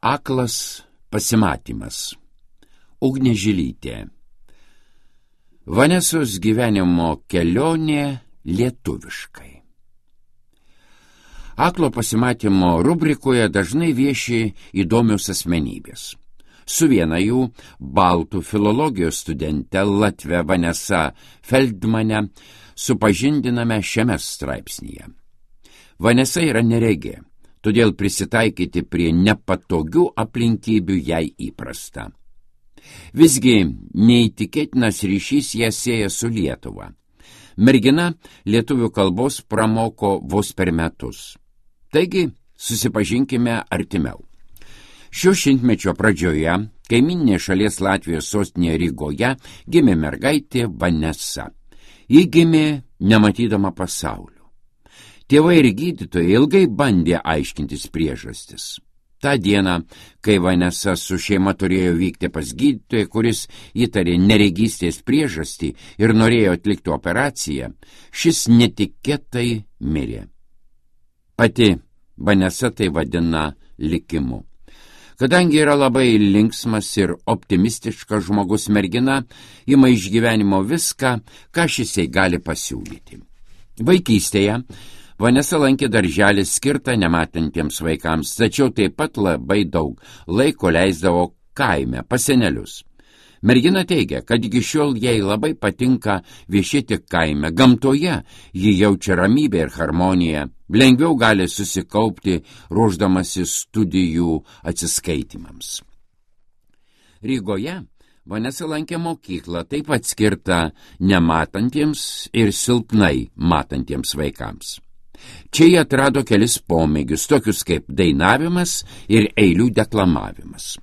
Aklas pasimatymas. Ugnė Žilytė. Vanesos gyvenimo kelionė lietuviškai. Aklo pasimatymo rubrikoje dažnai vieši įdomios asmenybės. Su viena jų, baltų filologijos studente Latvė Vanesa Feldmane, supažindiname šiame straipsnyje. Vanesa yra neregė, todėl prisitaikyti prie nepatogių aplinkybių jai įprasta. Visgi neįtikėtinas ryšys ją sieja su Lietuva. Mergina lietuvių kalbos pramoko vos per metus. Taigi, susipažinkime artimiau. Šio šimtmečio pradžioje, kaimyninė šalies Latvijos sostinėje Rygoje, gimė mergaitė Vanesa. Ji gimė nematydama pasaulio. Tėvai ir gydytojai ilgai bandė aiškintis priežastis. Ta diena, kai Vanesa su šeima turėjo vykti pas gydytoją, kuris įtarė neregystės priežastį ir norėjo atlikti operaciją, šis netikėtai mirė. Pati Vanesa tai vadina likimu. Kadangi yra labai linksmas ir optimistiškas žmogus, mergina ima iš gyvenimo viską, ką šis jai gali pasiūlyti. Vaikystėje Vanesa lankė darželį skirtą nematantiems vaikams, tačiau taip pat labai daug laiko leisdavo kaime pas senelius. Mergina teigia, kad iki šiol jai labai patinka viešėti kaime. Gamtoje ji jaučia ramybę ir harmoniją, lengviau gali susikaupti ruošdamasi studijų atsiskaitimams. Rygoje Vanesa lankė mokyklą, taip pat skirtą nematantiems ir silpnai matantiems vaikams. Čia jie atrado kelis pomėgius, tokius kaip dainavimas ir eilių deklamavimas.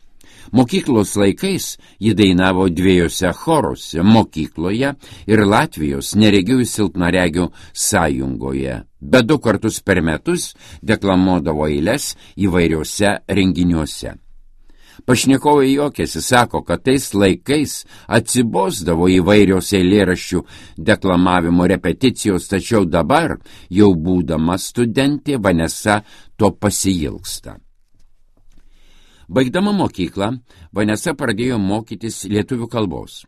Mokyklos laikais ji dainavo 2 choruose – mokykloje ir Latvijos neregių ir silpnaregių sąjungoje, bet 2 kartus per metus deklamuodavo eiles įvairiuose renginiuose. Pašnekovai juokėsi, sako, kad tais laikais atsibosdavo įvairios eilėraščių deklamavimo repeticijos, tačiau dabar, jau būdama studentė, Vanesa to pasiilgsta. Baigdama mokyklą, Vanesa pradėjo mokytis lietuvių kalbos.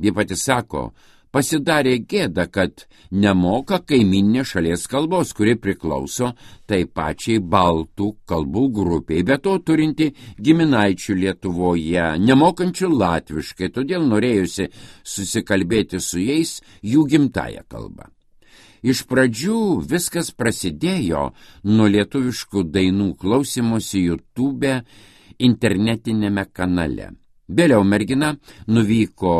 Ji pati sako, pasidarė gėda, kad nemoka kaimyninės šalies kalbos, kuri priklauso tai pačiai baltų kalbų grupiai, be to turinti giminaičių Lietuvoje, nemokančių latviškai, todėl norėjusi susikalbėti su jais jų gimtąją kalbą. Iš pradžių viskas prasidėjo nuo lietuviškų dainų klausymosi YouTube internetinėme kanale. Vėliau mergina nuvyko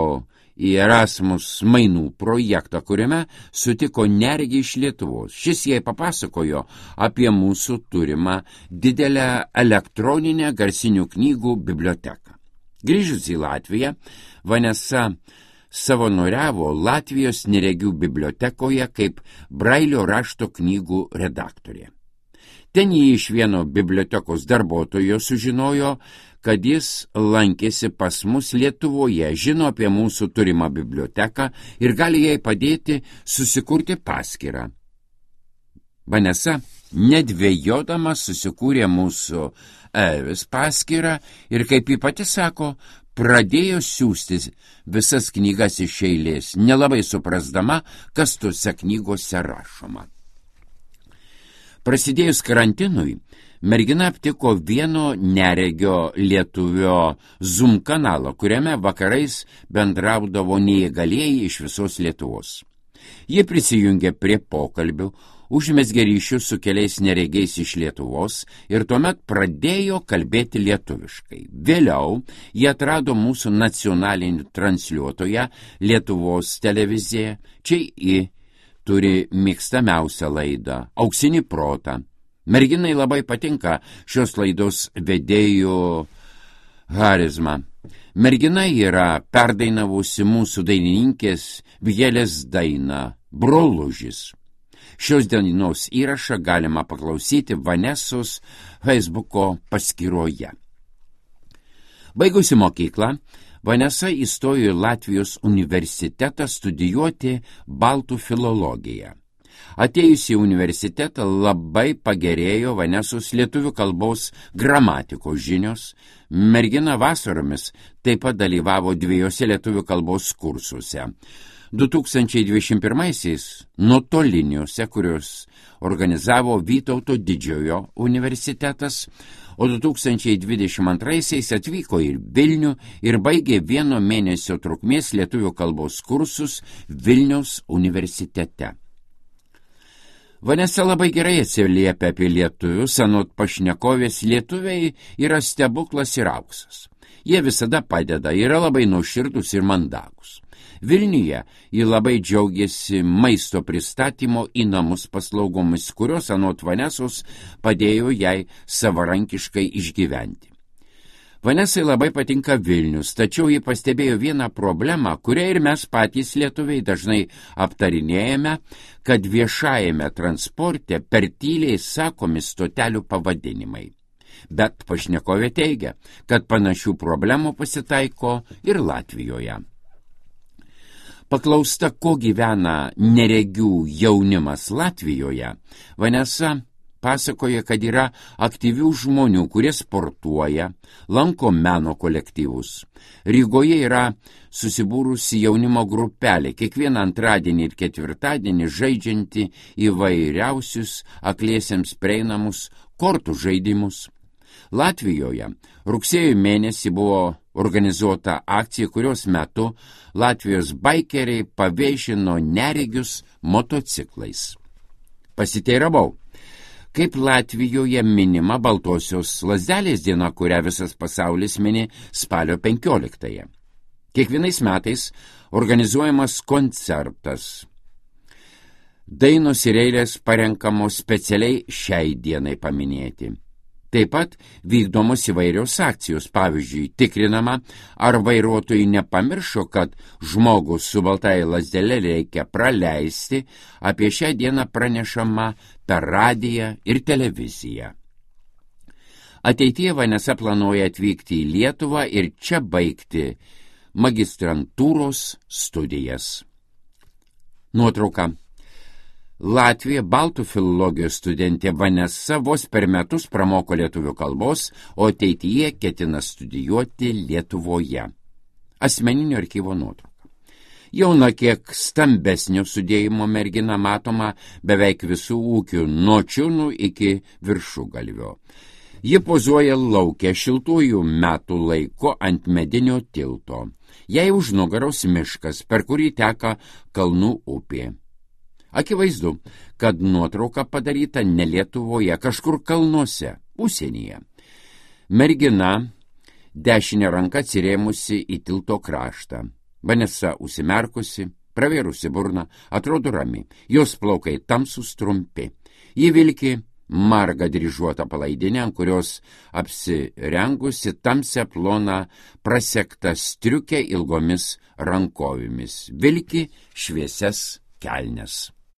į Erasmus mainų projektą, kuriame sutiko neregį iš Lietuvos. Šis jai papasakojo apie mūsų turimą didelę elektroninę garsinių knygų biblioteką. Grįžus į Latviją, Vanesa savanoriavo Latvijos neregių bibliotekoje kaip Brailio rašto knygų redaktorė. Ten jį iš vieno bibliotekos darbuotojo sužinojo, kad jis lankėsi pas mus Lietuvoje, žino apie mūsų turimą biblioteką ir gali jai padėti susikurti paskyrą. Vanesa, nedvejodama, susikūrė mūsų Evis paskyrą ir, kaip ji pati sako, pradėjo siųsti visas knygas iš eilės, nelabai suprasdama, kas tose knygose rašoma. Prasidėjus karantinui, mergina aptiko vieno neregio lietuvio Zoom kanalą, kuriame vakarais bendraudavo neįgalieji iš visos Lietuvos. Jie prisijungė prie pokalbių, užmezgė ryšius su keliais neregiais iš Lietuvos ir tuomet pradėjo kalbėti lietuviškai. Vėliau jie atrado mūsų nacionalinį transliuotoją Lietuvos televiziją. Čia turi mėgstamiausią laidą – Auksinį protą. Merginai labai patinka šios laidos vedėjų charizma. Mergina yra perdainavusi mūsų dainininkės Vigelės dainą Brolužis. Šios dainos įrašą galima paklausyti Vanesos Facebooko paskyroje. Baigusi mokyklą, Vanesa įstojo į Latvijos universitetą studijuoti baltų filologiją. Atėjusi į universitetą labai pagerėjo Vanesos lietuvių kalbos gramatikos žinios. Mergina vasaromis taip pat dalyvavo 2 lietuvių kalbos kursuose. 2021-aisiais nuotoliniuose, kuriuos organizavo Vytauto Didžiojo universitetas, o 2022-aisiais atvyko į Vilnių ir baigė 1 mėnesio trukmės lietuvių kalbos kursus Vilniaus universitete. Vanesa labai gerai atsiliepia apie lietuvius, anot pašnekovės lietuviai yra stebuklas ir auksas. Jie visada padeda, yra labai nuoširdūs ir mandagus. Vilniuje ji labai džiaugiasi maisto pristatymo į namus paslaugomis, kurios anot Vanesos padėjo jai savarankiškai išgyventi. Vanesai labai patinka Vilnius, tačiau ji pastebėjo vieną problemą, kurią ir mes patys lietuviai dažnai aptarinėjame, kad viešajame transporte per tyliai sakomi stotelių pavadinimai. Bet pašnekovė teigia, kad panašių problemų pasitaiko ir Latvijoje. Paklausta, ko gyvena neregių jaunimas Latvijoje, Vanesa pasakoja, kad yra aktyvių žmonių, kurie sportuoja, lanko meno kolektyvus. Rygoje yra susibūrusi jaunimo grupelė, kiekvieną antradienį ir ketvirtadienį žaidžianti įvairiausius akliesiems prieinamus kortų žaidimus. Latvijoje rugsėjo mėnesį buvo organizuota akcija, kurios metu Latvijos baikeriai pavėžino neregius motociklais. Pasiteiravau, kaip Latvijoje minima Baltosios lazdelės diena, kurią visas pasaulis mini spalio 15-ąją. Kiekvienais metais organizuojamas koncertas. Dainos ir eilės parenkamos specialiai šiai dienai paminėti. Taip pat vykdomos įvairios akcijos, pavyzdžiui, tikrinama, ar vairuotojai nepamiršo, kad žmogus su baltąja lazdele reikia praleisti, apie šią dieną pranešama per radiją ir televiziją. Ateityje Vanesa planuoja atvykti į Lietuvą ir čia baigti magistrantūros studijas. Nuotrauka. Latvija baltų filologijos studentė Vanesa vos per metus pramoko lietuvių kalbos, o ateityje ketina studijuoti Lietuvoje. Asmeninio archyvo nuotrauka. Jauna kiek stambesnio sudėjimo mergina matoma beveik visų ūkių, nuo čiūnų iki viršugalvio. Ji pozuoja lauke šiltųjų metų laiko ant medinio tilto. Jai už nugaros miškas, per kurį teka Kalnų upė. Akivaizdu, kad nuotrauka padaryta ne Lietuvoje, kažkur kalnuose, užsienyje. Mergina dešinę ranką atsirėmusi į tilto kraštą. Vanesa užsimerkusi, pravėrusi burną, atrodo rami. Jos plaukai tamsūs trumpi. Ji vilki margą dryžuotą palaidinę, ant kurios apsirengusi tamsią ploną prasektą striukę ilgomis rankovėmis. Vilki šviesias kelnes.